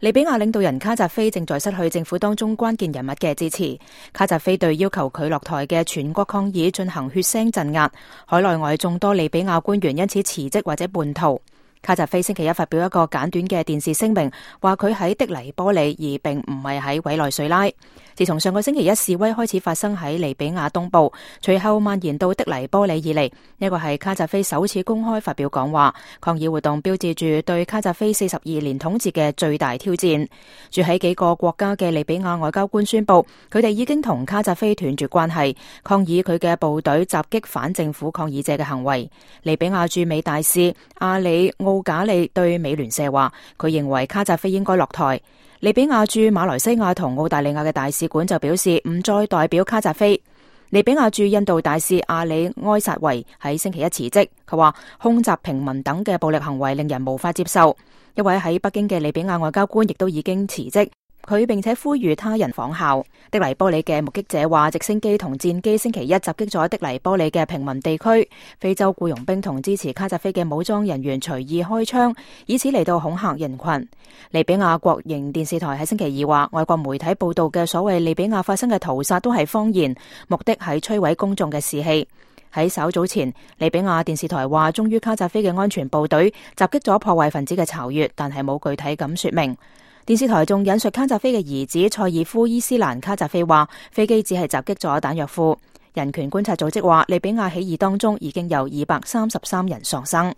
利比亞領導人卡扎菲正在失去政府當中關鍵人物嘅支持。卡扎菲對要求佢落台嘅全國抗議進行血腥鎮壓，海內外眾多利比亞官員因此辭職或者叛逃。卡扎菲星期一發表一個簡短嘅電視聲明，話佢喺的黎波里，而並唔係喺委內瑞拉。自從上個星期一示威開始發生喺利比亞東部，隨後蔓延到的黎波里以嚟，呢個係卡扎菲首次公開發表講話。抗議活動標誌住對卡扎菲42年統治嘅最大挑戰。住喺幾個國家嘅利比亞外交官宣布，佢哋已經同卡扎菲斷絕關係，抗議佢嘅部隊襲擊反政府抗議者嘅行為。利比亞駐美大使阿里奧賈利對美聯社話，佢認為卡扎菲應該落台。利比亞駐馬來西亞同澳大利亞嘅大使館就表示唔再代表卡扎菲。利比亞駐印度大使阿里埃薩維喺星期一辭職，佢話空襲平民等嘅暴力行為令人無法接受。一位喺北京嘅利比亞外交官亦都已經辭職，佢並且呼籲他人仿效。的黎波里嘅目擊者話，直升機同戰機星期一襲擊咗的黎波里嘅平民地區，非洲僱傭兵同支持卡扎菲嘅武裝人員隨意開槍，以此嚟到恐嚇人群。利比亞國營電視台喺星期二話，外國媒體報道嘅所謂利比亞發生嘅屠殺都係謊言，目的係摧毀公眾嘅士氣。喺稍早前，利比亞電視台話，忠於卡扎菲嘅安全部隊襲擊咗破壞分子嘅巢穴，但係冇具體咁說明。電視台仲引述卡扎菲嘅兒子塞爾夫伊斯蘭卡扎菲話，飛機只係襲擊咗彈藥庫。人權觀察組織話，利比亞起義當中已經有233人喪生。